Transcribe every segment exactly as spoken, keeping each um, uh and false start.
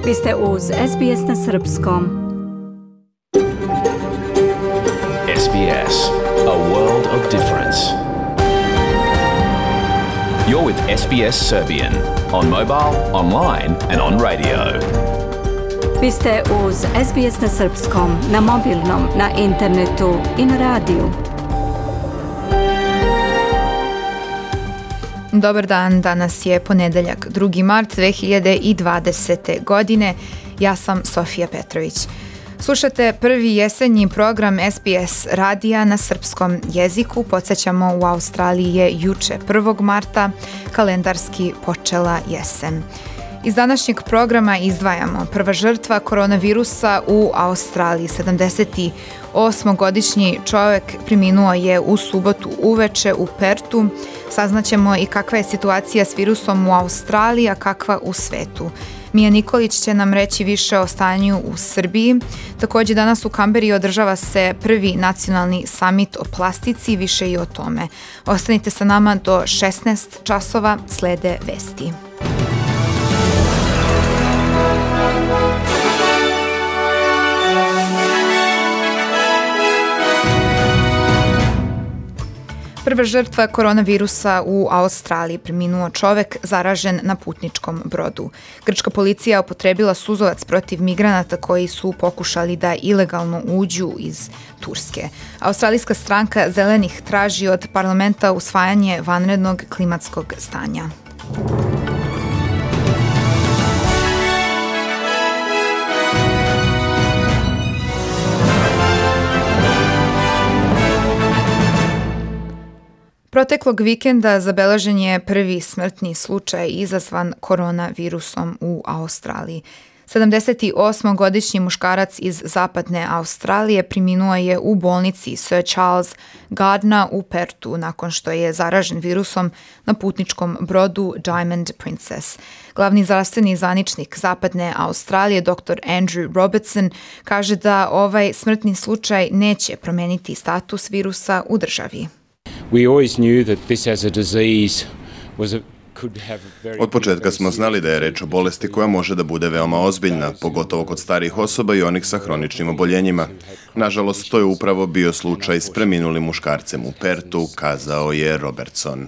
Vi ste uz S B S na srpskom. S B S, a world of difference. You're with S B S Serbian on mobile, online and on radio. Vi ste uz S B S na srpskom, na mobilnom, na internetu i na radiju. Dobar dan, danas je ponedeljak, drugi mart dve hiljade dvadesete. godine. Ja sam Sofija Petrović. Slušate prvi jesenji program S B S radija na srpskom jeziku. Podsjećamo, u Australiji je juče prvog marta kalendarski počela jesen. Iz današnjeg programa izdvajamo: prva žrtva koronavirusa u Australiji. sedamdesetosmogodišnji čovjek preminuo je u subotu uveče u Pertu. Saznaćemo i kakva je situacija s virusom u Australiji, a kakva u svetu. Mija Nikolić će nam reći više o stanju u Srbiji. Također danas u Kamberi održava se prvi nacionalni summit o plastici, više i o tome. Ostanite sa nama do šesnaest časova, slede vesti. Prva žrtva koronavirusa u Australiji, preminuo čovjek zaražen na putničkom brodu. Grčka policija upotrebila suzovac protiv migranata koji su pokušali da ilegalno uđu iz Turske. Australijska stranka Zelenih traži od parlamenta usvajanje vanrednog klimatskog stanja. Proteklog vikenda zabeležen je prvi smrtni slučaj izazvan koronavirusom u Australiji. sedamdesetosmogodišnji muškarac iz zapadne Australije preminuo je u bolnici Sir Charles Gardner u Pertu nakon što je zaražen virusom na putničkom brodu Diamond Princess. Glavni zdravstveni zvaničnik zapadne Australije, doktor Andrew Robertson, kaže da ovaj smrtni slučaj neće promeniti status virusa u državi. Od početka smo znali da je reč o bolesti koja može da bude veoma ozbiljna, pogotovo kod starijih osoba i onih sa hroničnim oboljenjima. Nažalost, to je upravo bio slučaj s preminulim muškarcem u Pertu, kazao je Robertson.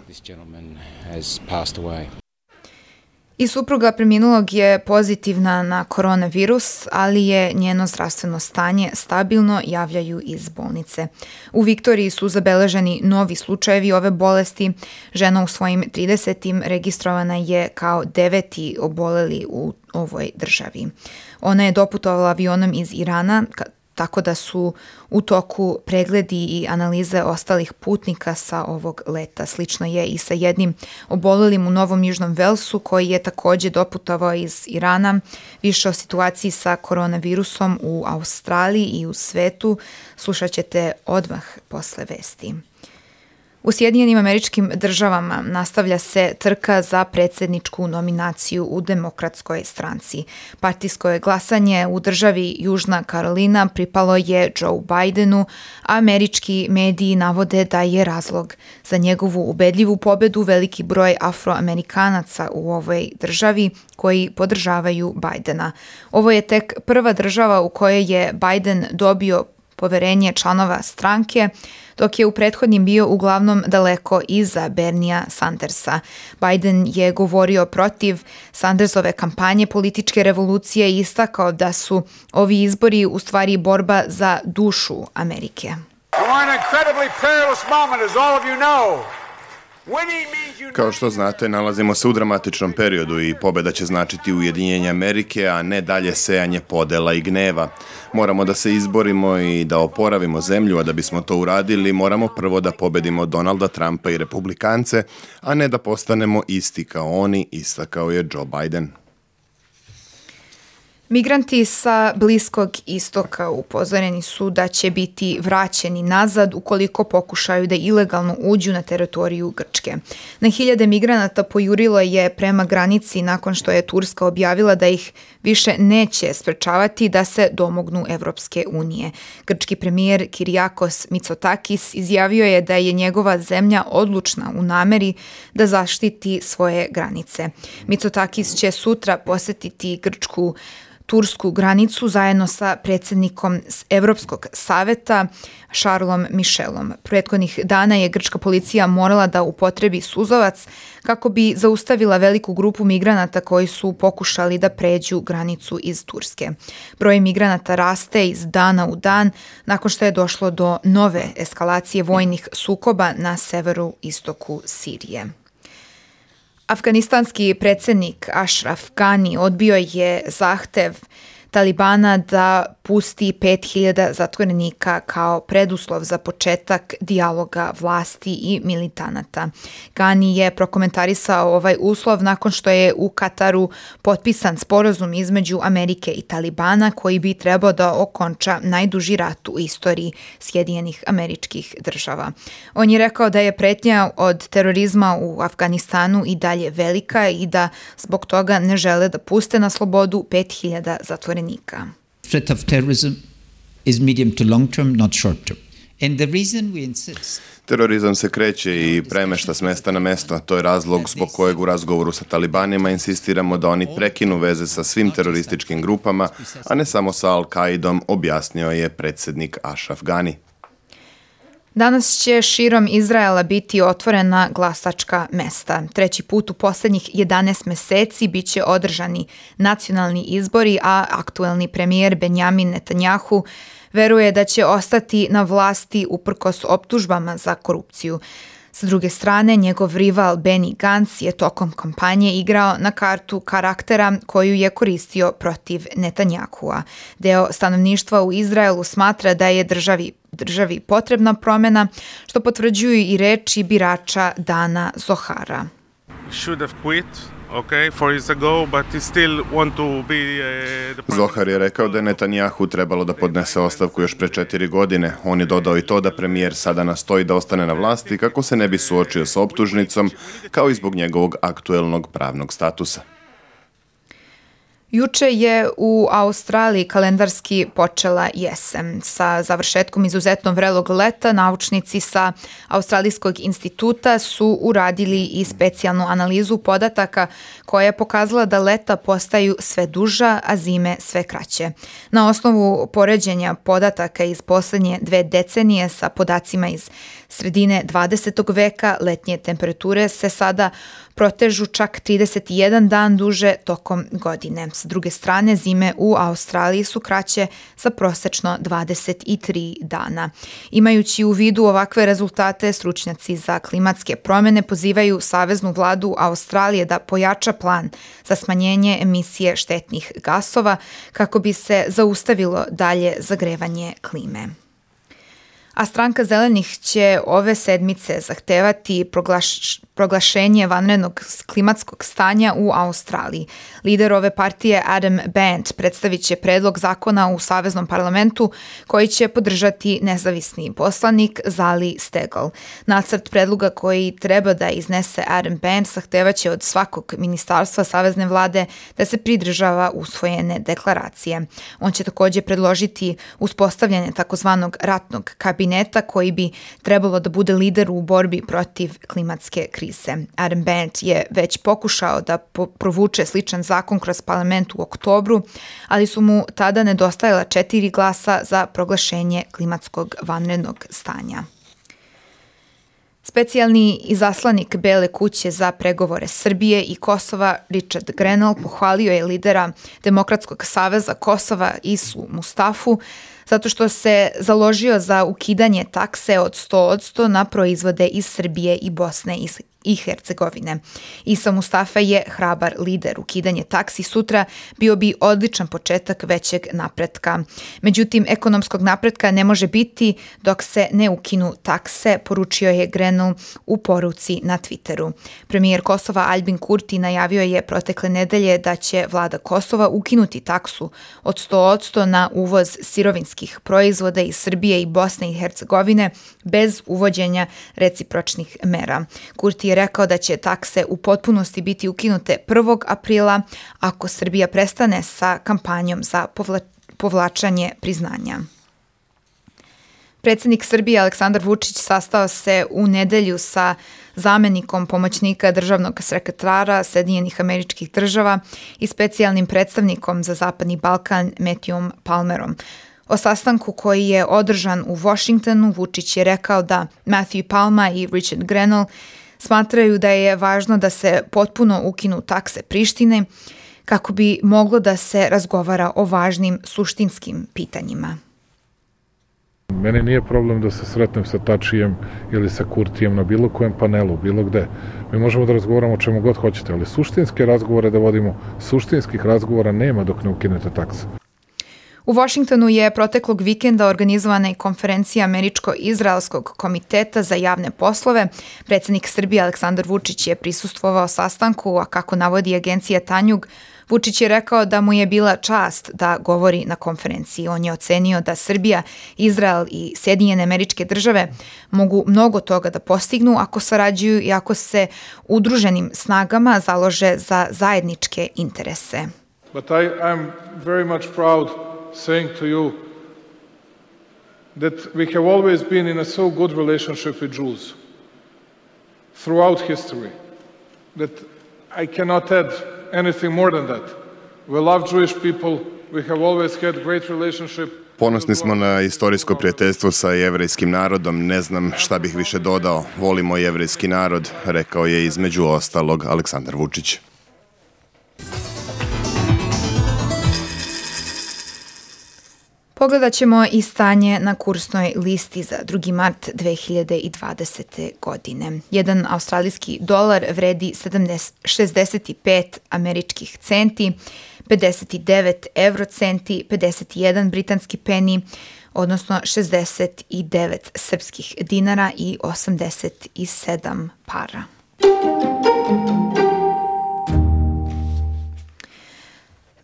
I supruga preminulog je pozitivna na koronavirus, ali je njeno zdravstveno stanje stabilno, javljaju iz bolnice. U Viktoriji su zabeleženi novi slučajevi ove bolesti. Žena u svojim tridesetim registrovana je kao deveti oboleli u ovoj državi. Ona je doputovala avionom iz Irana, tako da su u toku pregledi i analize ostalih putnika sa ovog leta. Slično je i sa jednim obolelim u Novom Južnom Velsu koji je također doputovao iz Irana. Više o situaciji sa koronavirusom u Australiji i u svetu slušat ćete odmah posle vesti. U Sjedinjenim Američkim Državama nastavlja se trka za predsjedničku nominaciju u Demokratskoj stranci. Partijsko je glasanje u državi Južna Karolina pripalo je Joe Bidenu, a američki mediji navode da je razlog za njegovu ubedljivu pobedu veliki broj Afroamerikanaca u ovoj državi koji podržavaju Bidena. Ovo je tek prva država u kojoj je Biden dobio poverenje članova stranke, dok je u prethodnim bio uglavnom daleko iza Bernija Sandersa. Biden je govorio protiv Sandersove kampanje političke revolucije i istakao da su ovi izbori u stvari borba za dušu Amerike. Kao što znate, nalazimo se u dramatičnom periodu i pobjeda će značiti ujedinjenje Amerike, a ne dalje sejanje podela i gneva. Moramo da se izborimo i da oporavimo zemlju, a da bismo to uradili, moramo prvo da pobedimo Donalda Trumpa i republikance, a ne da postanemo isti kao oni, istakao je Joe Biden. Migranti sa Bliskog istoka upozoreni su da će biti vraćeni nazad ukoliko pokušaju da ilegalno uđu na teritoriju Grčke. Na hiljade migranata pojurilo je prema granici nakon što je Turska objavila da ih više neće sprečavati da se domognu Evropske unije. Grčki premijer Kyriakos Mitsotakis izjavio je da je njegova zemlja odlučna u nameri da zaštiti svoje granice. Mitsotakis će sutra posjetiti Grčku tursku granicu zajedno sa predsjednikom Evropskog saveta Charlesom Michelom. Prethodnih dana je grčka policija morala da upotrebi suzovac kako bi zaustavila veliku grupu migranata koji su pokušali da pređu granicu iz Turske. Broj migranata raste iz dana u dan nakon što je došlo do nove eskalacije vojnih sukoba na severu istoku Sirije. Afganistanski predsjednik Ashraf Ghani odbio je zahtev Talibana da pusti pet hiljada zatvorenika kao preduslov za početak dijaloga vlasti i militanata. Ghani je prokomentarisao ovaj uslov nakon što je u Kataru potpisan sporazum između Amerike i Talibana koji bi trebao da okonča najduži rat u istoriji Sjedinjenih Američkih Država. On je rekao da je pretnja od terorizma u Afganistanu i dalje velika i da zbog toga ne žele da puste na slobodu pet hiljada zatvorenika. Threat of terrorism is medium to long term, not short term. And the reason we insist Terorizam se kreće i premešta s mesta na mesto. To je razlog zbog kojeg u razgovoru sa talibanima insistiramo da oni prekinu veze sa svim terorističkim grupama, a ne samo sa Al-Qaidom, objasnio je predsjednik Ashraf Ghani. Danas će širom Izraela biti otvorena glasačka mesta. Treći put u posljednjih jedanaest meseci bit će održani nacionalni izbori, a aktuelni premijer Benjamin Netanjahu veruje da će ostati na vlasti uprkos optužbama za korupciju. S druge strane, njegov rival Benny Gantz je tokom kampanje igrao na kartu karaktera koju je koristio protiv Netanjahua. Deo stanovništva u Izraelu smatra da je državi, državi potrebna promjena, što potvrđuju i reči birača Dana Zohara. Should have quit. Okay, four years ago, but he still want to be uh, the Zohar je rekao da je Netanjahu trebalo da podnese ostavku još pre četiri godine. On je dodao i to da premijer sada nastoji da ostane na vlasti kako se ne bi suočio s optužnicom, kao i zbog njegovog aktuelnog pravnog statusa. Juče je u Australiji kalendarski počela jesen. Sa završetkom izuzetno vrelog leta, naučnici sa Australijskog instituta su uradili i specijalnu analizu podataka koja je pokazala da leta postaju sve duža, a zime sve kraće. Na osnovu poređenja podataka iz posljednje dve decenije sa podacima iz sredine dvadesetog veka, letnje temperature se sada protežu čak trideset jedan dan duže tokom godine. S druge strane, zime u Australiji su kraće sa prosečno dvadeset tri dana. Imajući u vidu ovakve rezultate, stručnjaci za klimatske promjene pozivaju Saveznu vladu Australije da pojača plan za smanjenje emisije štetnih gasova kako bi se zaustavilo dalje zagrevanje klime. A stranka zelenih će ove sedmice zahtevati proglaš, proglašenje vanrednog klimatskog stanja u Australiji. Lider ove partije Adam Band predstavit će predlog zakona u Saveznom parlamentu koji će podržati nezavisni poslanik Zali Steggall. Nacrt predloga koji treba da iznese Adam Band zahtevaće od svakog ministarstva Savezne vlade da se pridržava usvojene deklaracije. On će također predložiti uspostavljanje takozvanog ratnog kabineta koji bi trebalo da bude lider u borbi protiv klimatske krize. Adam Band je već pokušao da po- provuče sličan zakon kroz parlament u oktobru, ali su mu tada nedostajala četiri glasa za proglašenje klimatskog vanrednog stanja. Specijalni izaslanik Bele kuće za pregovore Srbije i Kosova Richard Grenell pohvalio je lidera Demokratskog saveza Kosova Isu Mustafu zato što se založio za ukidanje takse od sto posto na proizvode iz Srbije i Bosne i Hercegovine. Isa Mustafa je hrabar lider. Ukidanje taksi sutra bio bi odličan početak većeg napretka. Međutim, ekonomskog napretka ne može biti dok se ne ukinu takse, poručio je Grenell u poruci na Twitteru. Premijer Kosova Albin Kurti najavio je protekle nedelje da će vlada Kosova ukinuti taksu od sto posto na uvoz sirovinskih proizvoda iz Srbije i Bosne i Hercegovine bez uvođenja recipročnih mera. Kurti je rekao da će takse u potpunosti biti ukinute prvog aprila ako Srbija prestane sa kampanjom za povla- povlačanje priznanja. Predsjednik Srbije Aleksandar Vučić sastao se u nedelju sa zamenikom pomoćnika državnog sekretara Sjedinjenih Američkih Država i specijalnim predstavnikom za Zapadni Balkan Matthewom Palmerom. O sastanku koji je održan u Washingtonu, Vučić je rekao da Matthew Palmer i Richard Grenell smatraju da je važno da se potpuno ukinu takse Prištine kako bi moglo da se razgovara o važnim suštinskim pitanjima. Meni nije problem da se sretnem sa Tačijem ili sa Kurtijem na bilo kojem panelu, bilo gde. Mi možemo da razgovaramo o čemu god hoćete, ali suštinske razgovore da vodimo, suštinskih razgovora nema dok ne ukinete takse. U Washingtonu je proteklog vikenda organizovana i konferencija Američko-Izraelskog komiteta za javne poslove. Predsjednik Srbije Aleksandar Vučić je prisustvovao sastanku, a kako navodi agencija Tanjug, Vučić je rekao da mu je bila čast da govori na konferenciji. On je ocenio da Srbija, Izrael i Sjedinjene Američke Države mogu mnogo toga da postignu ako sarađuju i ako se udruženim snagama založe za zajedničke interese. But I am very much proud saying to you that we have always been in a so good relationship with Jews throughout history that I cannot add anything more than that. We love Jewish people. We have always had great relationship. Ponosni smo na istorijsko prijateljstvo sa jevrejskim narodom, ne znam šta bih više dodao. Volimo jevrejski narod, rekao je između ostalog Aleksandar Vučić. Pogledat ćemo i stanje na kursnoj listi za drugi mart dve hiljade dvadesete. godine. Jedan australijski dolar vredi šezdeset pet američkih centi, pedeset devet eurocenti, pedeset jedan britanski peni, odnosno šezdeset devet srpskih dinara i osamdeset sedam para.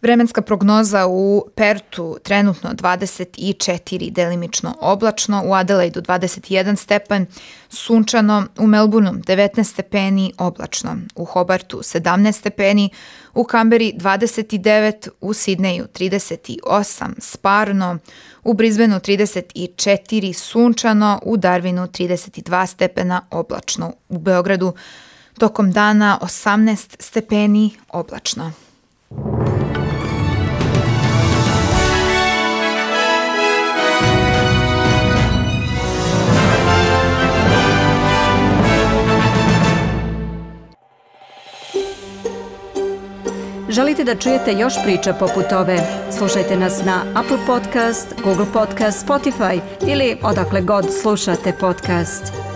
Vremenska prognoza u Pertu trenutno dvadeset četiri, delimično oblačno, u Adelaidu dvadeset jedan stepen, sunčano, u Melbourneu devetnaest stepeni, oblačno, u Hobartu sedamnaest stepeni, u Kamberi dvadeset devet, u Sidneju trideset osam, sparno, u Brisbaneu trideset četiri, sunčano, u Darwinu trideset dva stepena, oblačno, u Beogradu tokom dana osamnaest stepeni, oblačno. Želite da čujete još priča poput ove? Slušajte nas na Apple Podcast, Google Podcast, Spotify ili odakle god slušate podcast.